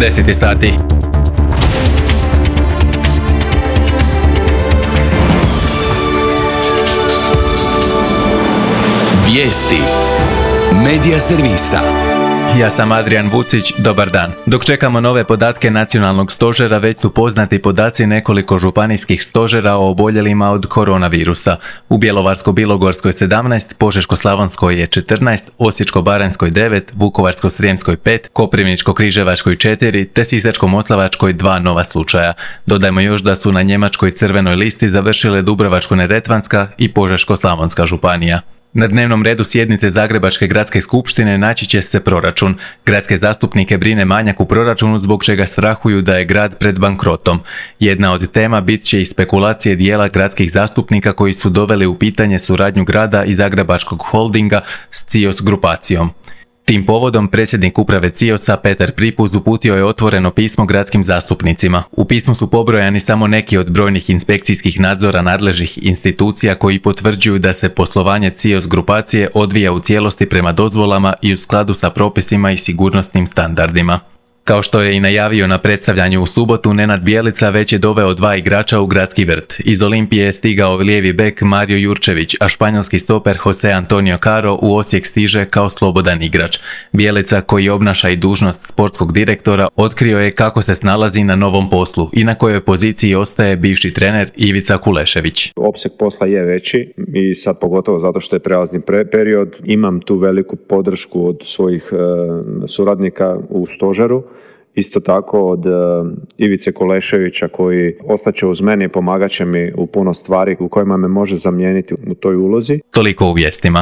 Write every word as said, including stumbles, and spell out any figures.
deset je sati. Vijesti Medija servisa. Ja sam Adrian Vucić, dobar dan. Dok čekamo nove podatke nacionalnog stožera, već su poznati podaci nekoliko županijskih stožera o oboljelima od koronavirusa. U Bjelovarsko-bilogorskoj sedamnaest, Požeško-slavonskoj je četrnaest, Osječko-baranjskoj devet, Vukovarsko-srijemskoj pet, Koprivničko-križevačkoj četiri te Sisačko-moslavačkoj dva nova slučaja. Dodajmo još da su na njemačkoj crvenoj listi završile Dubrovačko-neretvanska i Požeško-slavonska županija. Na dnevnom redu sjednice Zagrebačke gradske skupštine naći će se proračun. Gradske zastupnike brine manjak u proračunu zbog čega strahuju da je grad pred bankrotom. Jedna od tema bit će i spekulacije dijela gradskih zastupnika koji su doveli u pitanje suradnju grada i Zagrebačkog holdinga s C I O S grupacijom. Tim povodom predsjednik uprave C I O S-a Petar Pripuz uputio je otvoreno pismo gradskim zastupnicima. U pismu su pobrojani samo neki od brojnih inspekcijskih nadzora nadležnih institucija koji potvrđuju da se poslovanje C I O S grupacije odvija u cijelosti prema dozvolama i u skladu sa propisima i sigurnosnim standardima. Kao što je i najavio na predstavljanju u subotu, Nenad Bjelica već je doveo dva igrača u gradski vrt. Iz Olimpije je stigao lijevi bek Mario Jurčević, a španjolski stoper Jose Antonio Caro u Osijek stiže kao slobodan igrač. Bjelica, koji obnaša i dužnost sportskog direktora, otkrio je kako se snalazi na novom poslu i na kojoj poziciji ostaje bivši trener Ivica Kulešević. Opseg posla je veći i sad pogotovo zato što je prelazni pre- period. Imam tu veliku podršku od svojih e, suradnika u stožeru. Isto tako od uh, Ivice Kuleševića koji ostaće uz mene i pomagat će mi u puno stvari u kojima me može zamijeniti u toj ulozi. Toliko u vijestima.